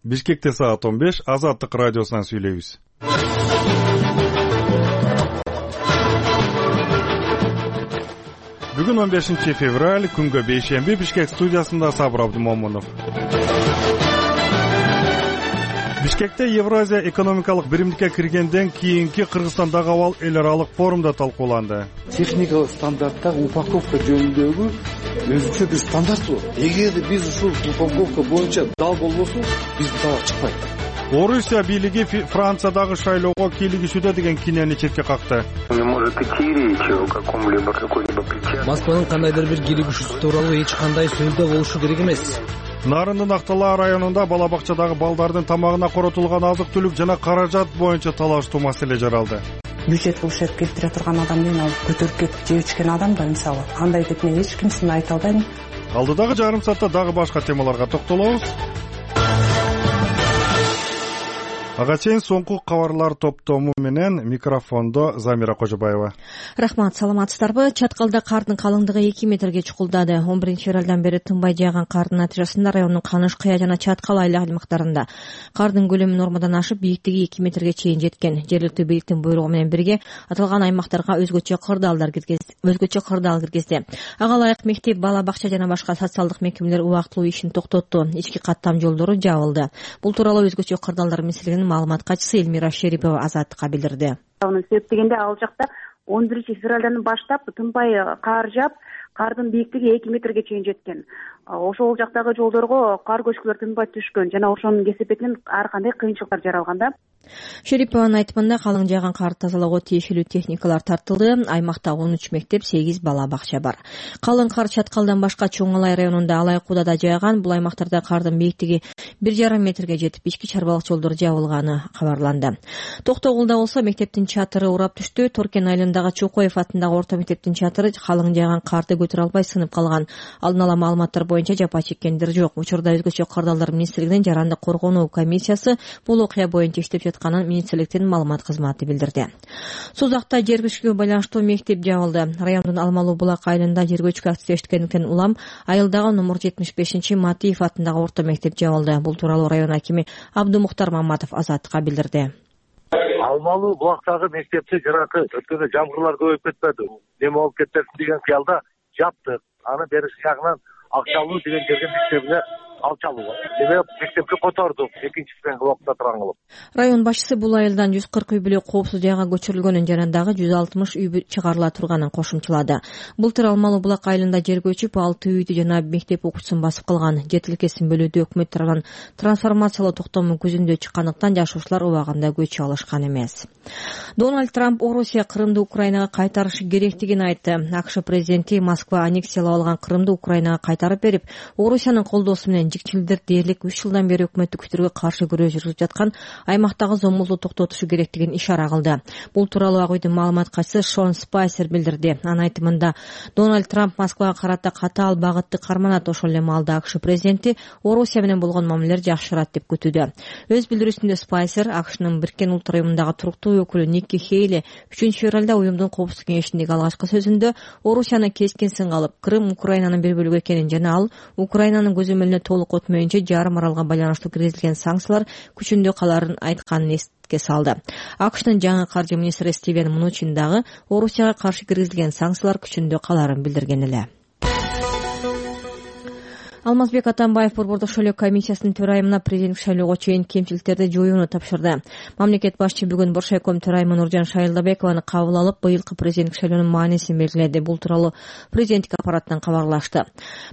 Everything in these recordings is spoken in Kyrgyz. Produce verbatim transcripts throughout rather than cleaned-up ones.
Бишкекте саат он беш, Азаттык радиосунан сүйлөйбүз. Бүгүн он бешинчи февраль, күнгө бейшемби, Бишкек студиясында Сабыр Абдымомунов. Бишкекте Евразия экономикалык биримдикке киргенден кийинки Кыргызстандагы абал эл аралык форумда талкууланды. Техникалык стандарттар упаковка жөнүндөгү өзүнчө бир стандарт бар. Эгерде биз ушул упаковка боюнча дал болбосо, биз бутага чыкпайт. Орусия бийлиги Франциядагы шайлоого кийлигишүүдө деген кинени четке какты. Не может идти речь о каком-либо какой-либо причастности. Москванын кандайдыр бир кийлигишүүсү тууралуу эч кандай сөздө болушу керек эмес. Нарындын Актала районунда бала бакчадагы балдардын тамагына коротулган азык-түлүк жана каражат боюнча талаштуу маселе жаралды. Бюджет кылышып келтире турган адам менен ал көтөрүп кетип жеп ичкен адам да мисалы андай деп мен эч кимсин айта албайм. Алдыдагы жарым саатта дагы башка темаларга токтолобуз. Ага чейин соңку кабарлар топтому менен микрофондо Замира Кожобаева. Рахмат, саламатсыздарбы? Чаткалда кардын калыңдыгы эки метрге чукулдады. он биринчи февралдан бери тынбай жааган кардын натыйжасында райондун Каныш, Кыя жана Чаткал айлактарында кардын көлөмү нормадан ашып, бийиктиги эки метрге чейин жеткен. Жергиликтүү бийликтин буйругу менен бирге аталган аймактарга өзгөчө кырдаалдар киргизди. Өзгөчө кырдаал киргизди. Ага ылайык мектеп, бала бакча жана башка социалдык мекемелер убактылуу ишин токтотту. Ички каттам жолдору жабылды. Бул тууралуу өзгөчө кырдаалдар министрлигинин маалымат катчысы Элмира Шерипова Азаттыкка билдирди. Анын себеп дегенде ал жакта он биринчи февралдан баштап тынбай кар жаап, кардын бийиктиги эки метрге чейин жеткен. Ошол жактагы жолдорго кар көчкүлөр тынбай түшкөн жана ошонун кесепетинен ар кандай кыйынчылыктар жаралган да. Шерипованын айтымында калың жааган карды тазалоого тиешелүү техникалар тартылды. Аймакта он үч мектеп, сегиз бала бакча бар. Калың кар Чаткалдан башка Чоң Алай районунда Алайкуудада да жааган. Бул аймактарда кардын бийиктиги бир жарым метрге жетип, ички чарбалык жолдор жабылганы кабарланды. Токтогулда болсо мектептин чатыры урап түштү. Торкен айылындагы Чокоев атындагы орто мектептин чатыры калың жааган карды көтөрө албай сынып калган. Алдын ала маалыматтар боюнча жапа чеккендер жок. Учурда өзгөчө кырдаалдар министрлигинин жарандык коргонуу комиссиясы бул окуя боюнча иштеп жатканын министрликтин маалымат кызматы билдирди. Сузакта жер көчкүгө байланыштуу мектеп жабылды. Райондун Алмалуу булак айылында жер көчкү активдештикендиктен улам айылдагы номер жетимиш бешинчи Матиев атындагы орто мектеп жабылды. Бул тууралуу район акими Абдумуктар Маматов Азаттыкка билдирди. Алмалуу булактагы мектепти жанакы өткөндө жамгырлар көбөйүп кетпеди. Неме болуп кетет деген кыялда жаптык. Аны бериш жагынан Акчалуу деген жерге мектебине алчалуу. Себеп мектепти котордук, экинчисинен блокта турган кылып. Район башчысы бул айылдан жүз кырк үй бүлө коопсуз жайга көчүрүлгөнүн жана дагы жүз алтымыш үй чыгарыла турганын кошумчалады. Былтыр Алмалуу булак айылында жер көчүп, алты үйдү жана мектеп окуучусун басып калган. Жер тилкесин бөлүүдө өкмөт тарабынан трансформациялоо токтому көзүндө чыккандыктан жашоочулар убагында көчү алышкан эмес. Дональд Трамп Орусия Крымды Украинага кайтарышы керектигин айтты. АКШ президенти Москва аннексиялап алган Крымды Украинага кайтарып берип, Орусиянын колдоосу менен жикчилдер дээрлик үч жылдан бери өкмөттүк күчтөргө каршы күрөш жүргүзүп жаткан аймактагы зомбулукту токтотушу керектигин ишара кылды. Бул тууралуу Ак үйдүн маалымат катчысы Шон Спайсер билдирди. Анын айтымында Дональд Трамп Москвага карата катаал багытты карманат. Ошол эле маалда АКШ президенти Орусия менен болгон мамилелер жакшырат деп күтүүдө. Өз билдирүүсүндө Спайсер АКШнын Бириккен Улуттар уюмундагы туруктуу өкүлү Никки Хейли үчүнчү февралда уюмдун коопсуздук кеңешиндеги алгачкы сөзүндө Орусияны кескин сынга алып, Крым Украинанын бир бөлүгү экенин жана ал Украинанын көзөмөлүнө толук өтмөйүнчө жарым аралга байланыштуу киргизилген санкциялар күчүндө каларын айтканын эске салды. АКШнын жаңы каржы министри Стивен Мнучин дагы Орусияга каршы киргизилген санкциялар күчүндө каларын билдирген эле. Алмазбек Атамбаев Борбордук шайлоо комиссиясынын төрайымына президенттик шайлоого чейин кемчиликтерди жоюуну тапшырды. Мамлекет башчы бүгүн Боршайком төрайымы Нуржан Шайылдабекованы кабыл алып, быйылкы президенттик шайлоонун маанисин белгиледи. Бул тууралуу президенттик аппараттан кабарлашты.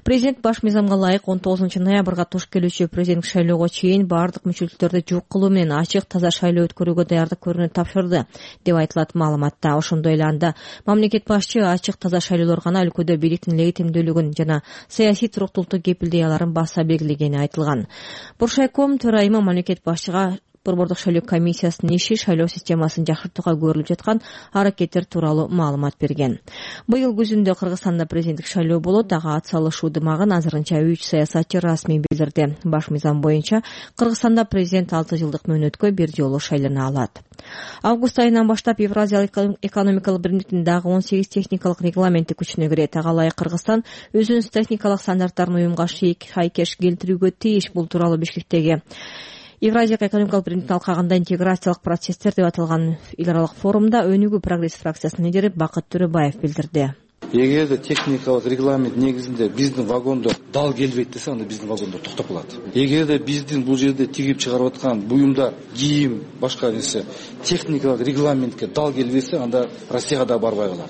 Президент баш мыйзамга ылайык он тогузунчу ноябрга туш келүүчү президенттик шайлоого чейин баардык мүчөлүктөрдү жок кылуу менен ачык, таза шайлоо өткөрүүгө даярдык көрүүнү тапшырды деп айтылат маалыматта. Ошондой эле анда мамлекет башчы ачык, таза шайлоолор гана өлкөдө бийликтин легитимдүүлүгүн жана саясий туруктуулукту идеяларын баса белгилегени айтылган. Боршайком төрайымы мамлекет башчыга Борбордук шайлоо комиссиясынын иши, шайлоо системасын жакшыртууга көрүлүп жаткан аракеттер тууралуу маалымат берген. Быйыл күзүндө Кыргызстанда президенттик шайлоо болот. Ага ат салышуу дымагын азырынча үч саясатчы расмий билдирди. Баш мыйзам боюнча Кыргызстанда президент алты жылдык мөөнөткө бир жолу шайлана алат. Август айынан баштап Евразиялык экономикалык биримдиктин дагы он сегиз техникалык регламенти күчүнө кирет. Ага ылайык Кыргызстан өзүнүн техникалык стандарттарын уюмга шайкеш келтирүүгө тийиш. Бул тууралуу Бишкектеги Евразиялык экономикалык биримдиктин алкагында интеграциялык процесстер деп аталган эл аралык форумда өнүгүү прогресс фракциясынын лидери Бакыт Төрөбаев билдирди. Эгерде техникалык регламент негизинде биздин вагондор дал келбейт десе, анда биздин вагондор токтоп калат. Эгерде биздин бул жерде тигип чыгарып аткан буюмдар, кийим, башка нерсе техникалык регламентке дал келбесе, анда Россияга да барбай калат.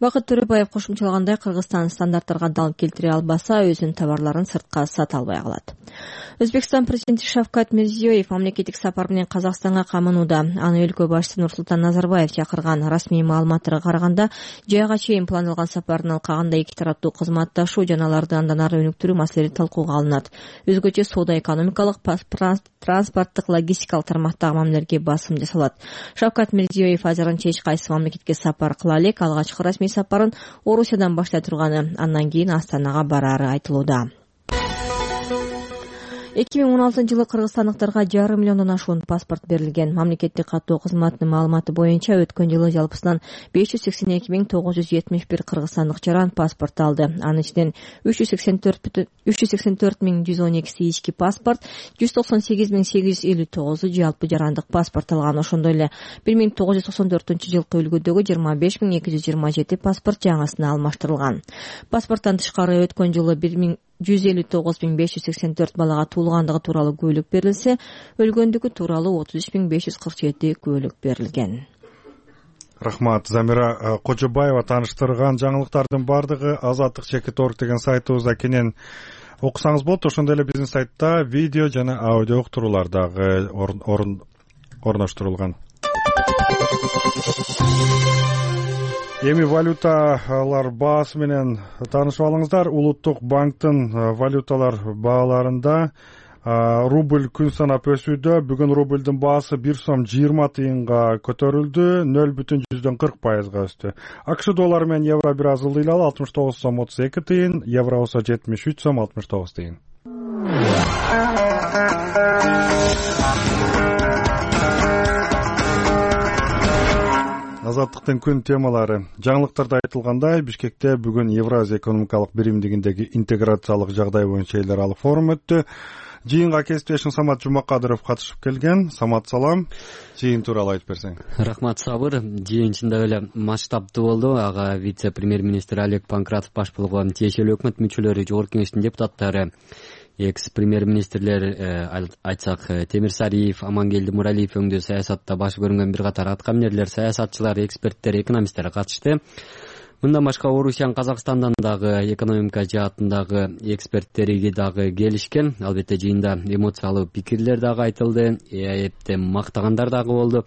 Бакыт Төрөбаев кошумчалагандай, Кыргызстан стандарттарга дал келтире албаса, өзүнүн товарларын сыртка сата албай калат. Өзбекстан президенти Шавкат Мирзиёев мамлекеттик сапар менен Казакстанга камынууда. Аны өлкө башчысы Нурсултан Назарбаев чакырган. Расмий маалыматтарга караганда, жайга чейин пландалган сапардын алкагында эки тараптуу кызматташуу жана аларды андан ары өнүктүрүү маселелери талкууга алынат. Өзгөчө соода экономикалык, транспорттук, логистикалык тармактагы мамилелерге басым жасалат. Шавкат Мирзиёев азырынча эч кайсы мамлекетке сапар кыла элек. Алгачкы расмий сапарын Орусиядан баштай турганы, андан кийин Астанага бараары айтылууда. эки миң он алтынчы жылы кыргызстандыктарга жарым миллиондон ашуун паспорт берилген. Мамлекеттик каттоо кызматынын маалыматы боюнча өткөн жылы жалпысынан беш жүз сексен эки миң тогуз жүз жетимиш бир кыргызстандык жаран паспорт алды. Анын ичинен үч жүз сексен төрт миң жүз он экиси ички паспорт, жүз токсон сегиз миң сегиз жүз элүү тогузу жалпы жарандык паспорт алган. Ошондой эле бир миң тогуз жүз токсон төртүнчү жылкы үлгүдөгү жыйырма беш миң эки жүз жыйырма жети паспорт жаңысына алмаштырылган. Паспорттон тышкары өткөн жылы бир миң жүз элүү тогуз миң беш жүз сексен төрт балага туулгандыгы тууралуу күбөлүк берилсе, өлгөндүгү тууралуу отуз үч миң беш жүз кырк жети күбөлүк берилген. Рахмат. Замира Кожобаева тааныштырган жаңылыктардын баардыгы азаттык чекит орг деген сайтыбызда кенен окусаңыз болот. Ошондой эле биздин сайтта видео жана аудио уктуруулар дагы орноштурулган. Эми валюталар баасы менен таанышып алыңыздар. Улуттук банктын валюталар бааларында рубль күн санап өсүүдө. Бүгүн рубльдин баасы бир сом жыйырма тыйынга көтөрүлдү, нөл бүтүн жүздөн кырк пайызга өстү. АКШ доллары менен евро бир аз ылдыйлалы, алтымыш тогуз сом отуз эки тыйын, евро болсо жетимиш үч сом алтымыш тогуз тыйын. Азаттыктын күн темалары. Жаңылыктарда айтылгандай, Бишкекте бүгүн Евразия экономикалык биримдигиндеги интеграциялык жагдай боюнча эл аралык форум өттү. Жыйынга кесиптешим Самат Жумакадыров катышып келген. Самат, салам. Жыйын тууралуу айтып берсең. Рахмат, Сабыр. Жыйын чындап эле масштабтуу болду. Ага вице-премьер-министр Олег Панкратов баш болгон тиешелүү өкмөт мүчөлөрү, жогорку кеңештин депутаттары, экс-премьер-министрлер, айтсак Темирсариев, Амангелди Муралиев өңдүү саясатта баш көрүнгөн бир катар аткаминерлер, саясатчылар, эксперттер, экономисттер катышты. Мындан башка Орусиянын Казакстандан дагы экономика жаатындагы эксперттери дагы келишкен. Албетте жыйында эмоциялуу пикирлер дагы айтылды, эпте мактагандар дагы болду.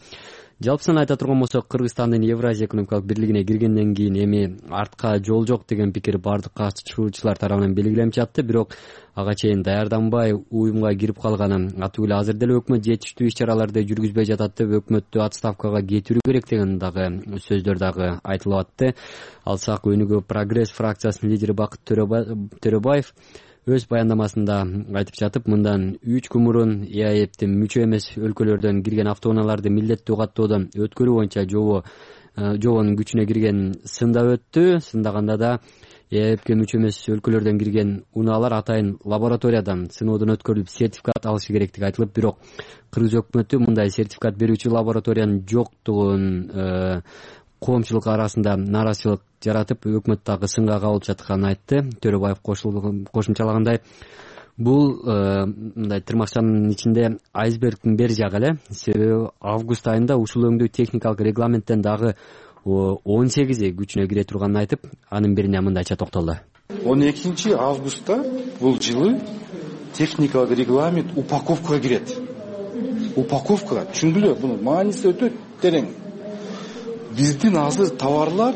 Жалпысын айта турган болсок, Кыргызстандын Евразия экономикалык бирлигине киргенден кийин эми артка жол жок деген пикир бардык катышуучулар тарабынан белгиленип жатты. Бирок ага чейин даярданбай уюмга кирип калганы атуу эле азыр деле өкмөт жетиштүү иш-чараларды жүргүзбөй жатат деп өкмөттү отставкага кетирүү керек деген дагы сөздөр дагы айтылып атты. Алсак өнүгүү прогресс фракциясынын лидери Бакыт Төрөбаев өз баяндамасында айтып жатып, мындан үч күн мурун ЭАЭптин мүчө эмес өлкөлөрдөн кирген автоунааларды милдеттүү каттоодон өткөрүү боюнча жобо жобонун күчүнө кирген сында өттү. Сындаганда да ЭАЭпке мүчө эмес өлкөлөрдөн кирген унаалар атайын лабораториядан сыноодон өткөрүлүп сертификат алышы керектиги айтылып, бирок Кыргыз өкмөтү мындай сертификат берүүчү лабораториянын жоктугун коомчулук арасында нааразычылык жаратып, өкмөт дагы сынга кабылып жатканын айтты. Төрөбаев кошумчалагандай, бул мындай тырмакчанын ичинде айсбергдин бери жагы эле. Себеби август айында ушул өңдүү техникалык регламенттен дагы он сегизи күчүнө кире турганын айтып, анын бирине мындайча токтолду. он экинчи августта бул жылы техникалык регламент упаковкага кирет. Упаковкага, түшүндүлөр, бунун мааниси өтө терең. Биздин азыр товарлар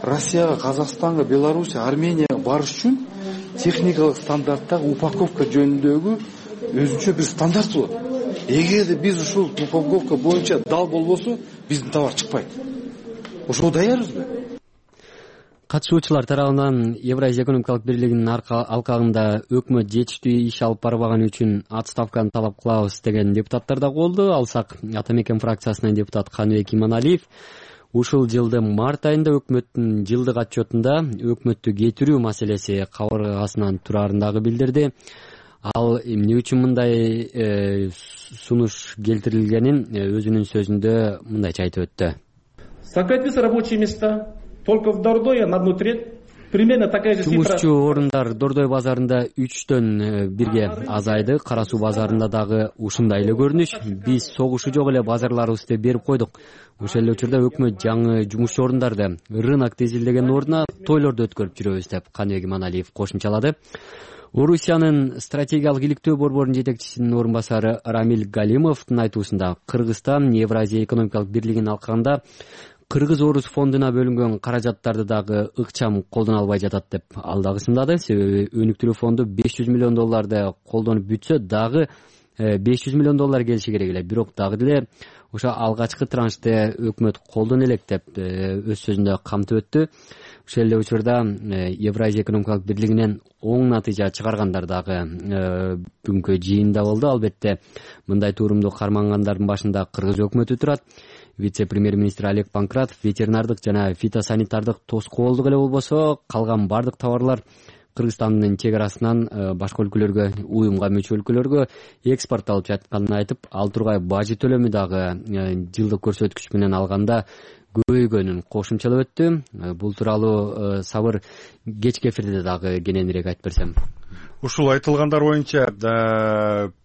Россияга, Казакстанга, Белоруссия, Арменияга барыш үчүн техникалык стандарттагы упаковка жөнүндөгү өзүнчө бир стандарт болот. Эгерде биз ушул упаковка боюнча дал болбосо, биздин товар чыкпайт. Ошого даярбызбы? Катышуучулар тарабынан Евразия экономикалык бирлигинин алкагында өкмөт жетиштүү иш алып барбаганы үчүн отставканы талап кылабыз деген депутаттар да болду. Алсак Ата Мекен фракциясынын депутаты Каныбек Иманалиев ушул жылдын март айында өкмөттүн жылдык отчетунда өкмөттү кетирүү маселеси кабыргасынан турарын дагы билдирди. ал эмне үчүн мындай сунуш келтирилгенин өзүнүн сөзүндө мындайча айтып өттү. Сократились рабочие места только в Дордое на одну треть. Примерно такая же цифра. Жумушчу орундар Дордой базарында үчтөн бирге азайды. Кара суу базарында дагы ушундай эле көрүнүш. Биз согушу жок эле базарларыбызды берип койдук. Ошол эле учурда өкмөт жаңы жумушчу орундарды рынок тезилдеген ордуна тойлорду өткөрүп жүрөбүз деп Каныбек Иманалиев кошумчалады. Орусиянын стратегиялык иликтөө борборунун жетекчисинин орун басары Рамиль Галимовдун айтуусунда Кыргызстан Евразия экономикалык бирлигин алкаганда Кыргыз-Орус фондуна бөлүнгөн каражаттарды дагы ыкчам колдоно албай жатат деп ал дагы сындады. Себеби өнүктүрүү фонду беш жүз миллион долларды колдонуп бүтсө дагы беш жүз миллион доллар келиши керек эле. Бирок дагы деле ошо алгачкы траншты өкмөт колдоно элек деп өз сөзүндө камтып өттү. Ошол эле учурда Евразия экономикалык бирлигинен оң натыйжа чыгаргандар дагы бүгүнкү жыйында болду. Албетте мындай турумду кармангандардын башында Кыргыз өкмөтү турат. Вице-премьер-министр Олег Панкратов ветеринардык жана фитосанитардык тоскоолдук эле болбосо калган бардык товарлар Кыргызстандын чек арасынан башка өлкөлөргө, уюмга мүчө өлкөлөргө экспортталып жатканын айтып, ал тургай бажы төлөмү дагы жылдык көрсөткүч менен алганда көбөйгөнүн кошумчалап өттү. Бул тууралуу Сабыр кечки эфирде дагы кененирээк айтып берсем. Ушул айтылгандар боюнча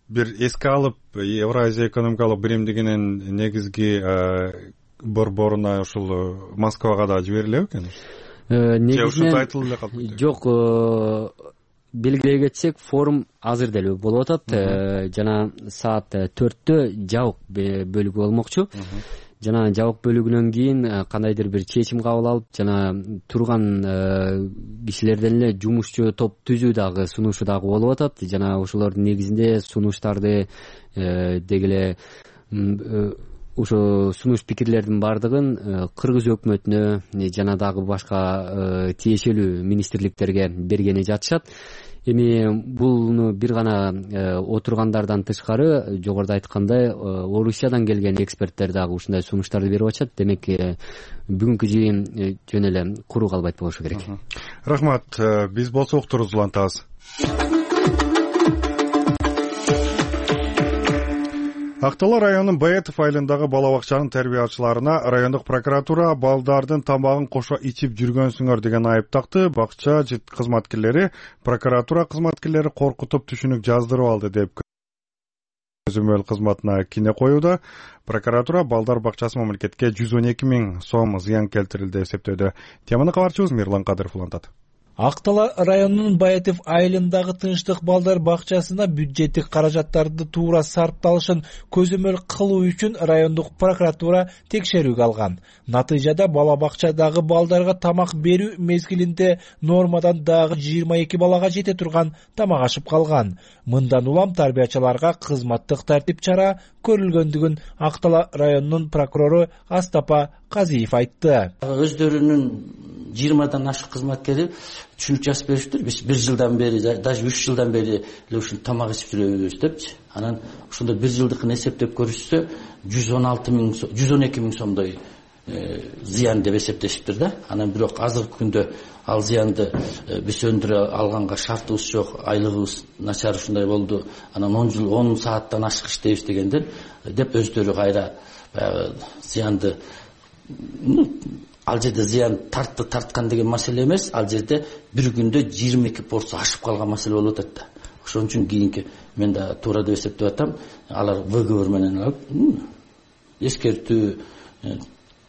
бир эске алып, Евразия экономикалык биримдигинин негизги борборуна ушул Москвага да жиберилеби экен? Негизинен айтылып эле калды. Жок, белгилей кетсек, форум азыр деле болуп атат. Жана саат төрттө жабык бөлүгү болмокчу. Жана жабык бөлүгүнөн кийин кандайдыр бир чечим кабыл алып, жана турган кишилерден эле жумушчу топ түзүү дагы сунушу дагы болуп атат. Жана ошолордун негизинде сунуштарды деги эле ошо сунуш пикирлердин бардыгын Кыргыз өкмөтүнө жана дагы башка тиешелүү министрликтерге бергени жатышат. Эми буну бир гана отургандардан тышкары, жогоруда айткандай, Орусиядан келген эксперттер дагы ушундай сунуштарды берип атышат. Демек, бүгүнкү жыйын жөн эле куру калбайт болушу керек. Рахмат. Биз болсо уктурубузду улантабыз. Ак Дала районунун Баетов айылындагы бала бакчанын тарбиячыларына райондук прокуратура балдардын тамагын кошо ичип жүргөнсүңөр деген айып такты. Бакча кызматкерлери прокуратура кызматкерлери коркутуп түшүнүк жаздырып алды деп көзөмөл кызматына кине коюуда. Прокуратура балдар бакчасы мамлекетке жүз он эки миң сом зыян келтирилди деп эсептөөдө. Теманы кабарчыбыз Мирлан Кадыров улантат. Ак Дала районунун Баетов айылындагы Тынчтык балдар бакчасына бюджеттик каражаттарды туура сарпталышын көзөмөл кылуу үчүн райондук прокуратура текшерүүгө алган. Натыйжада бала бакчадагы балдарга тамак берүү мезгилинде нормадан дагы жыйырма эки балага жете турган тамак ашып калган. Мындан улам тарбиячыларга кызматтык тартип чара көрүлгөндүгүн Ак Дала районунун прокурору Астапа Казиев айтты. Өздөрүнүн жыйырмадан ашык кызматкери түшүнүк жазып бериптир. Биз бир жылдан бери, даже үч жылдан бери эле ушун тамак ичип жүрөбүз депчи. Анан ошондо бир жылдыкын эсептеп көрүшсө жүз он алты миң, жүз он эки миң сомдой зыян деп эсептешиптир да. Анан бирок азыркы күндө ал зыянды биз өндүрө алганга шартыбыз жок, айлыгыбыз начар ушундай болду. Анан он жыл он сааттан ашык иштейбиз дегендер деп өздөрү кайра баягы зыянды, ал жерде зыян тартты тарткан деген маселе эмес, ал жерде бир күндө жыйырма эки порция ашып калган маселе болуп атат да. Ошон үчүн кийинки мен да туура деп эсептеп атам. Алар выговор менен алып эскертүү,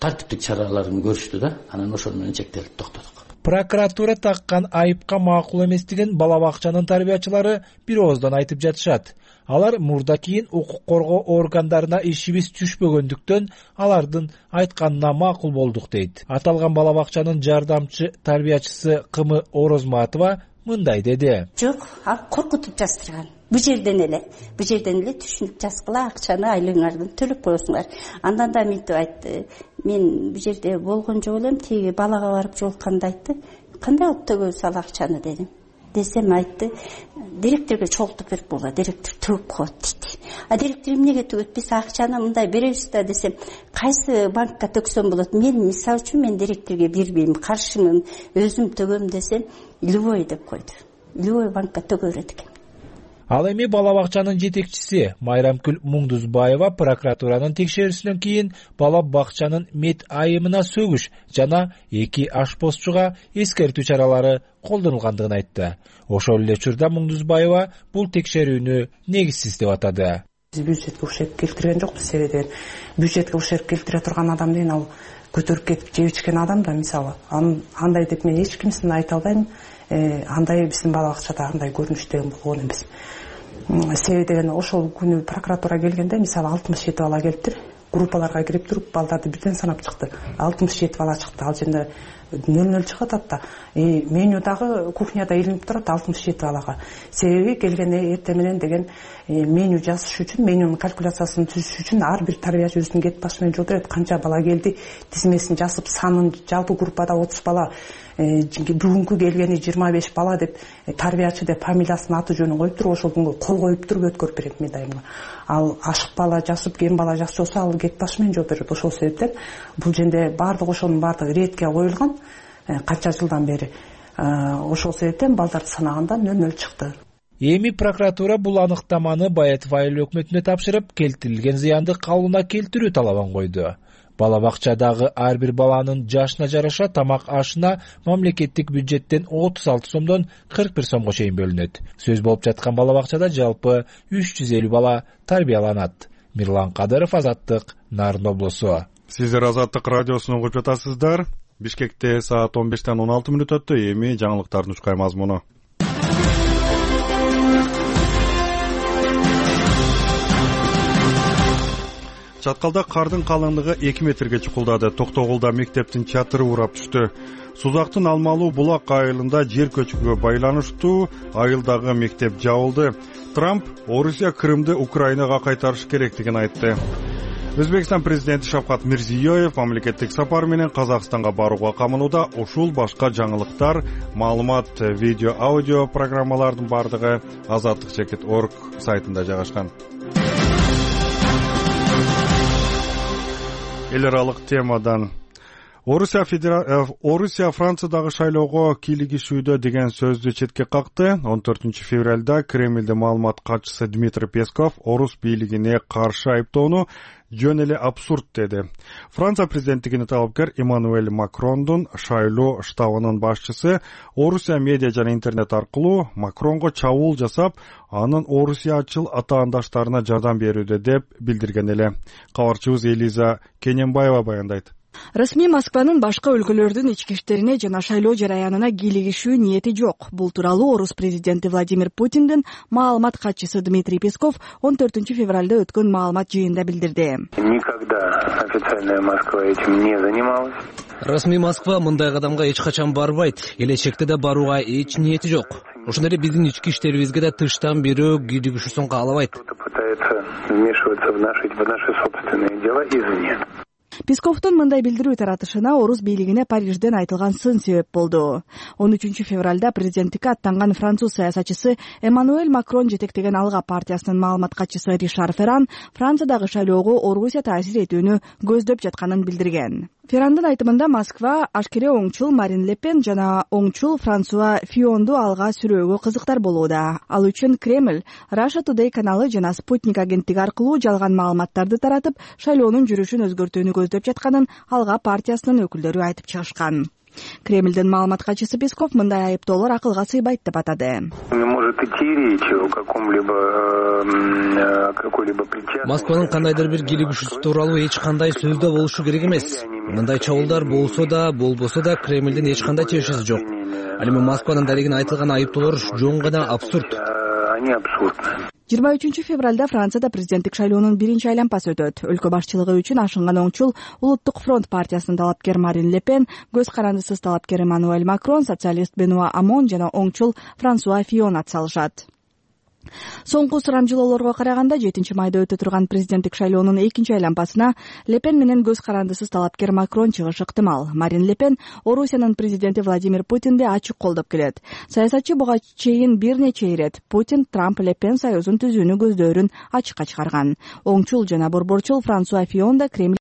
тартиптик чараларын көрүштү да. Анан ошол менен чектелип токтодук. Прокуратура таккан айыпка макул эместигин бала бакчанын тарбиячылары бир ооздон айтып жатышат. Алар мурда кийин укук коргоо органдарына ишибиз түшпөгөндүктөн алардын айтканына макул болдук дейт. Аталган бала бакчанын жардамчы тарбиячысы Кымы Орозматова мындай деди. Жок, ал коркутуп жаздырган. Бу жерден эле, бу жерден эле түшүнүк жазгыла, акчаны айлыгыңардан төлөп коесуңар. Андан да мынтип айтты. Мен бу жерде болгон жок элем, тиги балага барып жолукканда айтты. Кандай алып төгөбүз ал акчаны дедим. Десем айтты, директорго чогултуп берип боло, директор төгүп коет дейт. А директор эмнеге төгөт? Биз акчаны мындай беребиз да десем, кайсы банкка төксөм болот? Мен мисалы үчүн мен директорго бербейм, каршымын, өзүм төгөм десем, любой деп койду. Любой банкка төгө берет экен. Ал эми бала бакчанын жетекчиси Майрамкүл Муңдузбаева прокуратуранын текшерүүсүнөн кийин бала бакчанын мед айымына сөгүш жана эки ашпозчуга эскертүү чаралары колдонулгандыгын айтты. Ошол эле учурда Муңдузбаева бул текшерүүнү негизсиз деп атады. Биз бюджетке ушерп келтирген жокпуз, себеби деген бюджетке ушерп келтире турган адам деген ал көтөрүп кетип жеп ичкен адам да, мисалы. Андай деп мен эч кимсин айта албайм. Андай биздин бала бакчада андай көрүнүштөгөн болгон эмес. Себеби деген ошол күнү прокуратура келгенде мисалы алтымыш жети бала келиптир. Группаларга кирип туруп балдарды бирден санап чыкты. алтымыш жети бала чыкты. Ал жерде нөл нөл чыгып атат да. Меню дагы кухняда илинип турат алтымыш жети балага. Себеби келгенде эртең менен деген меню жазыш үчүн, менюнун калькуляциясын түзүш үчүн ар бир тарбиячы өзүнүн кет башы менен жол берет. Канча бала келди, тизмесин жазып, санын жалпы группада отуз бала, бүгүнкү келгени жыйырма беш бала деп тарбиячы деп фамилиясын, аты жөнүн коюп туруп, ошол күнгө кол коюп туруп өткөрүп берет медайымга. Ал ашык бала жазып, кем бала жазып болсо, ал кет башы менен жол берет. Ошол себептен бул жерде бардык ошонун бардыгы ретке коюлган. Канча жылдан бери ошол себептен балдарды санаганда нөл нөл чыкты. Эми прокуратура бул аныктаманы Баетов айыл өкмөтүнө тапшырып, келтирилген зыянды калыбына келтирүү талабын койду. Бала бакчадагы ар бир баланын жашына жараша тамак ашына мамлекеттик бюджеттен отуз алты сомдон кырк бир сомго чейин бөлүнөт. Сөз болуп жаткан бала бакчада жалпы үч жүз элүү бала тарбияланат. Мирлан Кадыров, Азаттык, Нарын облусу. Сиздер Азаттык радиосун угуп жатасыздар. Бишкекте саат он бештен он алты мүнөт өттү. Эми жаңылыктардын учкай мазмуну. Чаткалда кардын калыңдыгы эки метрге чукулдады. Токтогулда мектептин чатыры урап түштү. Сузактын Алмалуу булак айылында жер көчкүгө байланыштуу айылдагы мектеп жабылды. Трамп Орусия Крымды Украинага кайтарыш керектигин айтты. Өзбекстан президенти Шавкат Мирзиёев мамлекеттик сапар менен Казакстанга барууга камынууда. Ушул башка жаңылыктар, маалымат, видео, аудио программалардын бардыгы азаттык чекит точка орг сайтында жайгашкан. Эл аралык темадан Орусия Федера... Орусия Франциядагы шайлоого кийлигишүүдө деген сөздү четке какты. он төртүнчү февралда Кремлдин маалымат катчысы Дмитрий Песков орус бийлигине каршы айыптоону жөн эле абсурд деди. Франция президенттигине талапкер Эммануэль Макрондун шайлоо штабынын башчысы Орусия медиа жана интернет аркылуу Макронго чабуул жасап, анын орусиячыл атаандаштарына жардам берүүдө деп билдирген эле. Кабарчыбыз Элиза Кененбаева баяндайт. Расмий Москванын башка өлкөлөрдүн ички иштерине жана шайлоо жараянына кийлигишүү ниети жок. Бул тууралуу орус президенти Владимир Путиндин маалымат катчысы Дмитрий Песков он төртүнчү февралда өткөн маалымат жыйынында билдирди. Никогда официальная Москва этим не занималась. Расмий Москва мындай кадамга эч качан барбайт. Келечекте да барууга эч ниети жок. Ошондой эле биздин ички иштерибизге да тыштан бирөө кийлигишүүсүн каалабайт. Пытается вмешиваться в наши, в наши собственные дела извне. Песковдун мындай билдирүү таратышына орус бийлигине Парижден айтылган сын себеп болду. он үчүнчү февралда президенттикке аттанган француз саясатчысы Эммануэль Макрон жетектеген Алга партиясынын маалымат катчысы Ришар Ферран Франциядагы шайлоого Орусия таасир этүүнү көздөп жатканын билдирген. Феррандын айтымында Москва ашкере оңчул Марин Ле Пен жана оңчул Франсуа Фионду алга сүрөөгө кызыктар болууда. Ал үчүн Кремль Russia Today каналы жана Спутник агенттиги аркылуу жалган маалыматтарды таратып, шайлоонун жүрүшүн өзгөртүүнү көздөп жатканын Алга партиясынын өкүлдөрү айтып чыгышкан. Кремлдин маалымат катчысы Песков мындай айыптоолор акылга сыйбайт деп атады. Москванын кандайдыр бир кийлигишүүсү тууралуу эч кандай сөздө болушу керек эмес. Мындай чабуулдар болсо да, болбосо да Кремлдин эч кандай чечиши жок. Ал эми Москванын дарегине айтылган айыптоолор жөн гана абсурд. жыйырма үчүнчү февралда Францияда президенттик шайлоонун биринчи айлампасы өтөт. Өлкө башчылыгы үчүн ашынган оңчул Улуттук фронт партиясынын талапкер Марин Ле Пен, көз карандысыз талапкер Эммануэль Макрон, социалист Бенуа Амон жана оңчул Франсуа Фион атсалышат. Соңку сурамжылоолорго караганда жетинчи майда өтө турган президенттик шайлоонун экинчи айлампасына Ле Пен менен көз карандысыз талапкер Макрон чыгышы ыктымал. Марин Ле Пен Орусиянын президенти Владимир Путинди ачык колдоп келет. Саясатчы буга чейин бир нече ирет Путин Трамп Ле Пен союзун түзүүнү көздөөрүн ачыкка чыгарган. Оңчул жана борборчул Франсуа Фион да Кремль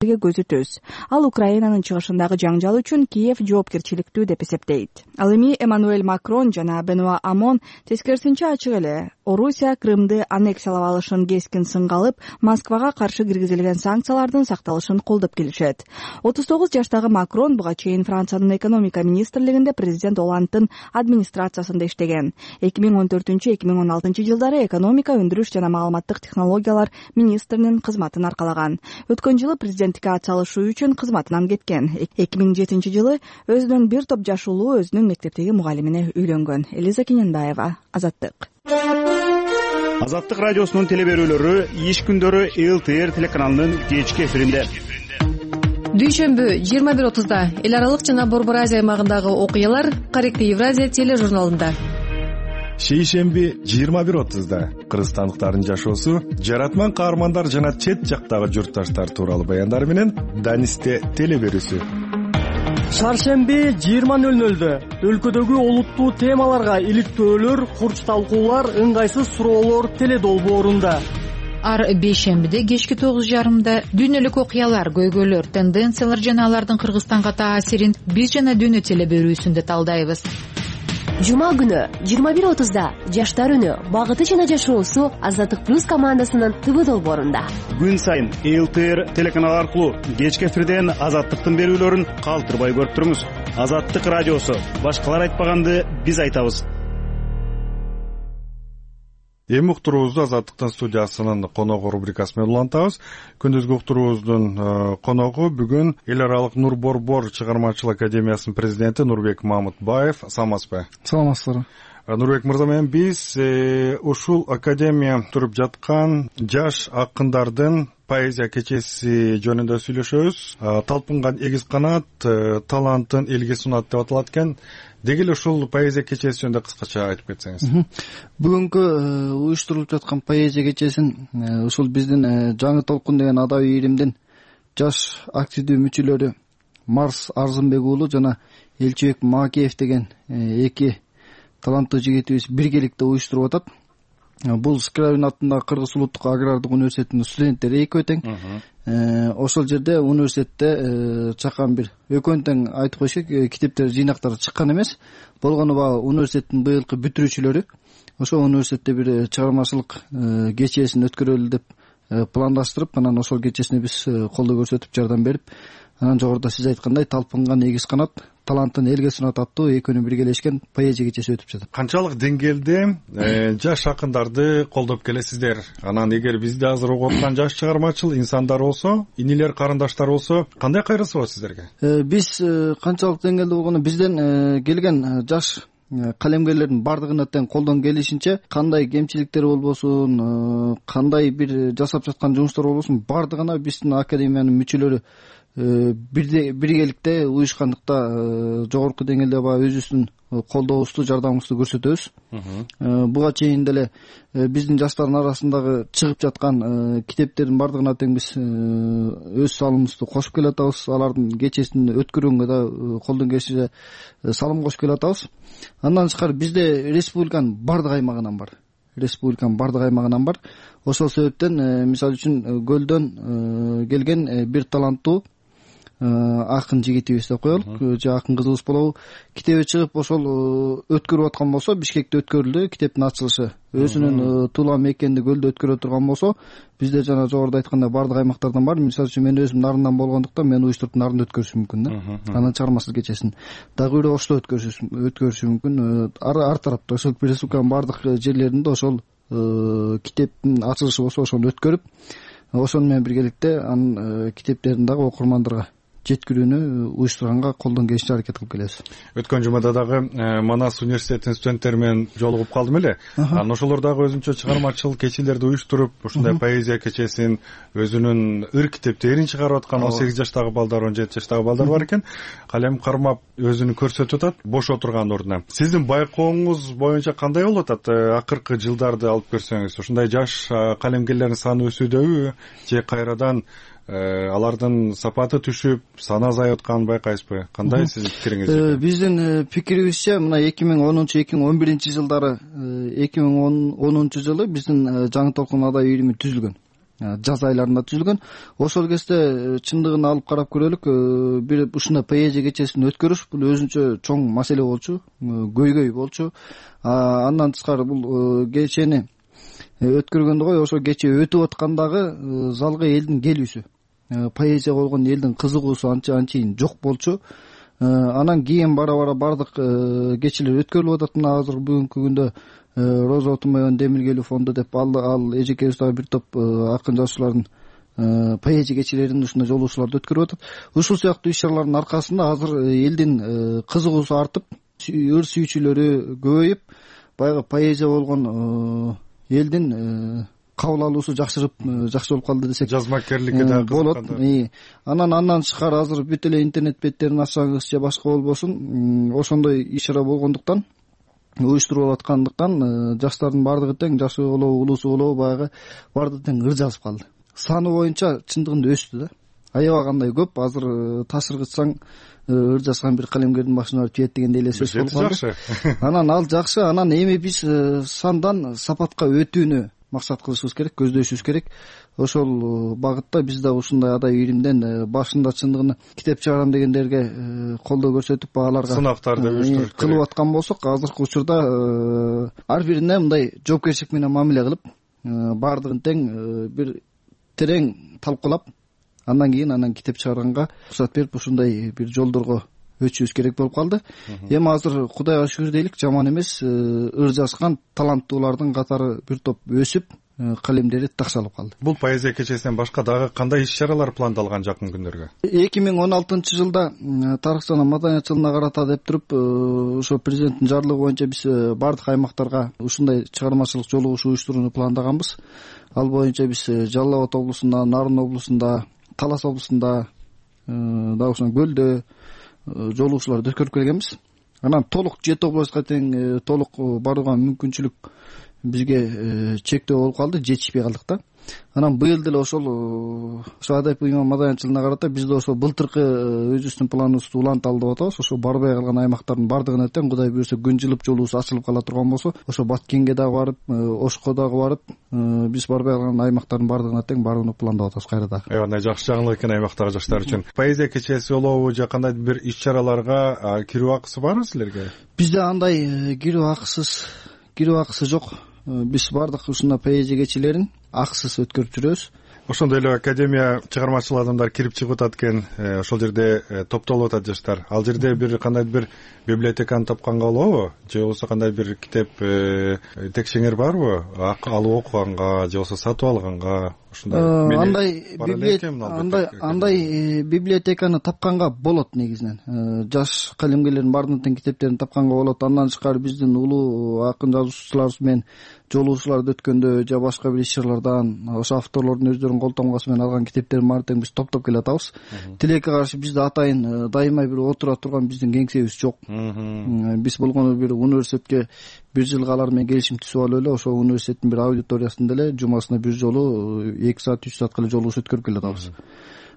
көзү түз. Ал Украинанын чыгышындагы жаңжал үчүн Киев жоопкерчиликтүү деп эсептейт. Ал эми Эммануэль Макрон жана Бенуа Амон тескерисинче ачык эле Орусия Крымды аннексиялап алышын кескин сынга алып, Москвага каршы киргизилген санкциялардын сакталышын колдоп келишет. отуз тогуз жаштагы Макрон буга чейин Франциянын экономика министрлигинде президент Оландтын администрациясында иштеген. эки миң он төртүнчү эки миң он алтынчы жылдары экономика, өндүрүш жана маалыматтык технологиялар министринин кызматын аркалаган. Өткөн жылы президенттикке атсалышуу үчүн кызматынан кеткен. эки миң жетинчи жылы өзүнүн бир топ жаш уулу өзүнүн мектептеги мугалимине үйлөнгөн. Элиза Кененбаева, Азаттык. Азаттык радиосунун телеберүүлөрү иш күндөрү эл тэ эр телеканалынын кечки эфиринде. Дүйшөмбү жыйырма бир отузда эл аралык жана Борбор Азия аймагындагы окуялар Каректи Евразия тележурналында. Шейшемби жыйырма бир отузда кыргызстандыктардын жашоосу, жаратман каармандар жана чет жактагы журтташтар тууралуу баяндар менен Данисте телеберүүсү. Шаршемби жыйырма нөл нөлдө өлкөдөгү олуттуу темаларга иликтөөлөр, курч талкуулар, ыңгайсыз суроолор теледолбоорунда. Ар бейшембиде кечки тогуз жарымда дүйнөлүк окуялар, көйгөйлөр, тенденциялар жана алардын Кыргызстанга таасирин биз жана дүйнө телеберүүсүндө талдайбыз. Жума күнү жыйырма бир отузда жаштар үнү, багыты жана жашоосу Азаттык плюс командасынын ТВ долбоорунда. Күн сайын эл тэ эр телеканалы аркылуу кечки эфирден Азаттыктын берүүлөрүн калтырбай көрүп туруңуз. Азаттык радиосу, башкалар айтпаганды биз айтабыз. Эми уктуруубузду Азаттыктын студиясынын коногу рубрикасы менен улантабыз. Күндүзгү уктуруубуздун коногу бүгүн эл аралык Нур Борбор чыгармачылык академиясынын президенти Нурбек Мамытбаев. Саламатсызбы? Саламатсыздар. Нурбек мырза менен биз ушул академия туруп жаткан жаш акындардын поэзия кечеси жөнүндө сүйлөшөбүз. Талпынган эгиз канат, талантын элге сунат деп аталат экен. Деги эле ушул поэзия кечеси жөнүндө кыскача айтып кетсеңиз. Бүгүнкү уюштурулуп жаткан поэзия кечесин ушул биздин жаңы толкун деген адабий иримдин жаш активдүү мүчөлөрү Марс Арзымбек уулу жана Элчибек Маакеев деген эки таланттуу жигитибиз биргеликте уюштуруп атат. Бул Скрябин атындагы Кыргыз улуттук агрардык университетинин студенттери экөө тең. Ошол жерде университетте чакан бир экөөнү тең айтып коюш керек, китептер жыйнактары чыккан эмес. Болгону баягы университеттин быйылкы бүтүрүүчүлөрү ошол университетте бир чыгармачылык кечесин өткөрөлү деп пландаштырып, анан ошол кечесине биз колдоо көрсөтүп жардам берип, анан жогоруда сиз айткандай талпынган эгиз канат, талантын элге сунат аттуу экөөнү биргелешкен поэзия кечеси өтүп жатат. Канчалык деңгээлде жаш акындарды колдоп келесиздер? Анан эгер бизде азыр угуп аткан жаш чыгармачыл инсандар болсо, инилер, карындаштар болсо, кандай кайрысы бар сиздерге? Биз канчалык деңгээлде болгону бизден келген жаш калемгерлердин бардыгына тең колдон келишинче, кандай кемчиликтер болбосун, кандай бир жасап жаткан жумуштар болбосун, бардыгына биздин академиянын мүчөлөрү биргеликте уюшкандыкта жогорку деңгээлде баягы өзүбүздүн колдообузду, жардамыбызды көрсөтөбүз. Буга чейин деле биздин жаштардын арасындагы чыгып жаткан китептердин бардыгына тең биз өз салымыбызды кошуп келатабыз. Алардын кечесин өткөргөнгө да колдон келишинче салым кошуп келатабыз. Андан тышкары бизде республиканын бардык аймагынан бар. Республиканын бардык аймагынан бар. Ошол себептен мисалы үчүн Көлдөн келген бир таланттуу акын жигитибиз деп коелук, же акын кызыбыз болобу, китеби чыгып ошол өткөрүп аткан болсо, Бишкекте өткөрүлдү китептин ачылышы. Өзүнүн туулган мекенинде Көлдө өткөрө турган болсо, бизде жана жогоруда айткандай бардык аймактардан бар. Мисалы үчүн мен өзүм Нарындан болгондуктан мен уюштуруп Нарында өткөрүшүм мүмкүн да. Анан чыгармачылык кечесин дагы бирөө Ошто өткөрүшү мүмкүн. Ар тарапта ошол республиканын бардык жерлеринде ошол китептин ачылышы болсо ошону өткөрүп, ошону менен биргеликте анын китептерин дагы окурмандарга жеткирүүнү уюштурганга колдон келишинче аракет кылып келебиз. Өткөн жумада дагы Манас университетинин студенттери менен жолугуп калдым эле. Анан ошолор дагы өзүнчө чыгармачыл кечилерди уюштуруп, ушундай поэзия кечесин, өзүнүн ыр китептерин чыгарып аткан он сегиз жаштагы балдар, он жети жаштагы балдар бар экен. Калем кармап өзүнү көрсөтүп атат бош отурган ордуна. Сиздин байкооңуз боюнча кандай болуп атат? Акыркы жылдарды алып көрсөңүз, ушундай жаш калемгерлердин саны өсүүдөбү же кайрадан алардын сапаты түшүп, саны азайып атканын байкайсызбы? Кандай сиздин пикириңиз? Биздин пикирибизче мына эки миң онунчу эки миң он биринчи жылдары, эки миң онунчу жылы биздин жаңы толкун адабий ирими түзүлгөн. жаз айларында түзүлгөн. Ошол кезде чындыгын алып карап көрөлүк, бир ушундай поэзия кечесин өткөрүш бул өзүнчө чоң маселе болчу, көйгөй болчу. Андан тышкары бул кечени өткөргөндө ғой ошо кече өтүп аткандагы залга элдин келүүсү, поэзияга болгон элдин кызыгуусу анчейин жок болчу. Анан кийин бара бара бардык кечелер өткөрүлүп атат. Мына азыр бүгүнкү күндө Роза Отунбаеванын Демиргелүү фонду деп ал ал эжекебиз дагы бир топ акын жазуучулардын поэзия кечелерин ушундай жолугушууларды өткөрүп атат. Ушул сыяктуу иш чаралардын аркасында азыр элдин кызыгуусу артып, ыр сүйүүчүлөрү көбөйүп, баягы поэзия болгон элдин кабыл алуусу жакшырып жакшы болуп калды десек жазмакерликке дагы болот. Анан андан тышкары азыр бүт эле интернет беттерин ачсаңыз же башка болбосун ошондой иш чара болгондуктан, уюштуруп аткандыктан жаштардын баардыгы тең, жашы болобу улуусу болобу баягы баардыгы тең ыр жазып калды. Саны боюнча чындыгында өстү да. Аябагандай көп. Азыр ташыргытсаң ыр жазган бир калемгердин башына барып тиет дегендей эле сөз болуп калды. Анан ал жакшы. Анан эми биз сандан сапатка өтүүнү максат кылышыбыз керек, көздөшүбүз керек. Ошол багытта биз да ушундай адай иримден башында чындыгын китеп чыгарам дегендерге колдоо көрсөтүп, аларга сынактарды уюштуруп кылып аткан болсок, азыркы учурда ар бирине мындай жоопкерчилик менен мамиле кылып, баардыгын тең бир терең талкуулап, андан кийин анан китеп чыгарганга уруксат берип, ушундай бир жолдорго өтүшүбүз керек болуп калды. Эми азыр Кудайга шүгүр дейлик, жаман эмес, ыр жазган таланттуулардын катары бир топ өсүп, калемдери такшалып калды. Бул поэзия кечесинен башка дагы кандай иш чаралар пландалган жакын күндөргө? эки миң он алтынчы жылда тарых жана маданият жылына карата деп туруп, ошо президенттин жарлыгы боюнча биз бардык аймактарга ушундай чыгармачылык жолугушуу уюштурууну пландаганбыз. Ал боюнча биз Жалал Абад облусунда, Нарын облусунда, Талас облусунда, дагы ошондой Көлдө жолугушууларды өткөрүп келгенбиз. Анан толук жети областка тең толук барууга мүмкүнчүлүк бизге чектөө болуп калды, жетишпей калдык да. Анан быйыл деле ошол ошо Адайып ыйман маданият жылына карата биз да ошол былтыркы өзүбүздүн планыбызды уланталы деп атабыз. Ошо барбай калган аймактардын баардыгына тең Кудай буюрса күн жылып жолубуз ачылып кала турган болсо, ошо Баткенге дагы барып, Ошко дагы барып, биз барбай калган аймактардын баардыгына тең барууну пландап атабыз кайра дагы. Аябай жакшы жаңылык экен аймактагы жаштар үчүн. Поэзия кечеси болобу же кандай бир иш чараларга кирүү акысы барбы силерге? Бизде андай кирүү акысыз кирүү акысы жок. Биз бардык ушундай поэзия кечелерин акысыз өткөрүп жүрөбүз. Ошондой эле академия чыгармачыл адамдар кирип чыгып атат экен, ошол жерде топтолуп атат жаштар. Ал жерде бир кандай бир библиотеканы тапканга болобу? Же болбосо кандай бир китеп текшеңер барбы? Алып окуганга же болбосо сатып алганга? Андай андай андай библиотеканы тапканга болот негизинен. Жаш калемгерлердин баардыгын тең китептерин тапканга болот. Андан тышкары биздин улуу акын жазуучуларыбыз менен жолугушууларды өткөндө же башка бир иш чаралардан ошо авторлордун өздөрүнүн кол тамгасы менен алган китептерин баарын тең биз топтоп келе атабыз. Тилекке каршы бизде атайын дайыма бир отура турган биздин кеңсебиз жок. Биз болгону бир университетке бир жылга алар менен келишим түзүп алып эле ошо университеттин бир аудиториясында эле жумасына бир жолу эки саат үч саатка эле жолугуш өткөрүп келе атабыз.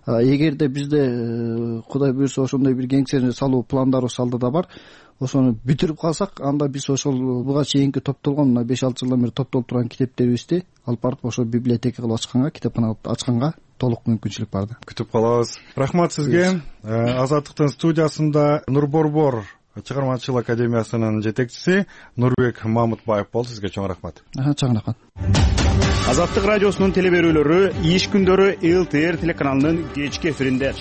Эгерде бизде Кудай буюрса ошондой бир кеңсени салуу пландарыбыз алдыда бар, ошону бүтүрүп калсак, анда биз ошол буга чейинки топтолгон мына беш алты жылдан бери топтолуп турган китептерибизди алып барып ошо библиотека кылып ачканга, китепкана кылып ачканга толук мүмкүнчүлүк бар да. Күтүп калабыз. Рахмат сизге. Азаттыктын студиясында Нур Борбор чыгармачылык академиясынын жетекчиси Нурбек Мамытбаев болду. Сизге чоң рахмат. Чоң рахмат. Азаттык радиосунун теле берүүлөрү иш күндөрү эл тэ эр телеканалынын кечки эфиринде.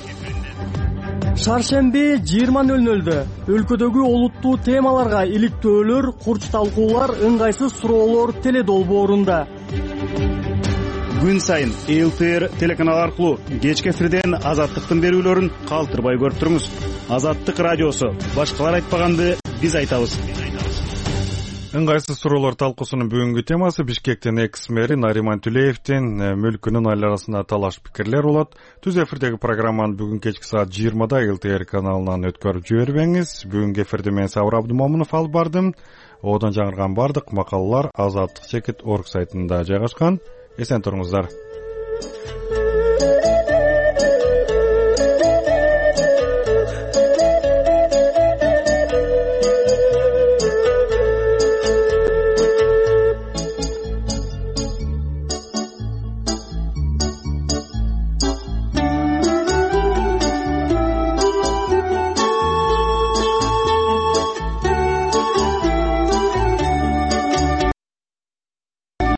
Шаршемби жыйырма нөл нөлдө өлкөдөгү олуттуу темаларга иликтөөлөр, курч талкуулар, ыңгайсыз суроолор теле долбоорунда. Күн сайын эл тэ эр телеканалы аркылуу кечки эфирден Азаттыктын берүүлөрүн калтырбай көрүп туруңуз. Азаттык радиосу, башкалар айтпаганды биз айтабыз. Ыңгайсыз суроолор талкуусунун бүгүнкү темасы Бишкектин экс мэри Нариман Түлеевдин мүлкүнүн айланасында талаш пикирлер болот. Түз эфирдеги программаны бүгүн кечки саат жыйырмада эл тэ эр каналынан өткөрүп жибербеңиз. Бүгүнкү эфирде мен Сабыр Абдымомунов алып бардым. Оодон жаңырган бардык макалалар азаттык чекит орг сайтында жайгашкан. Эсен туруңуздар.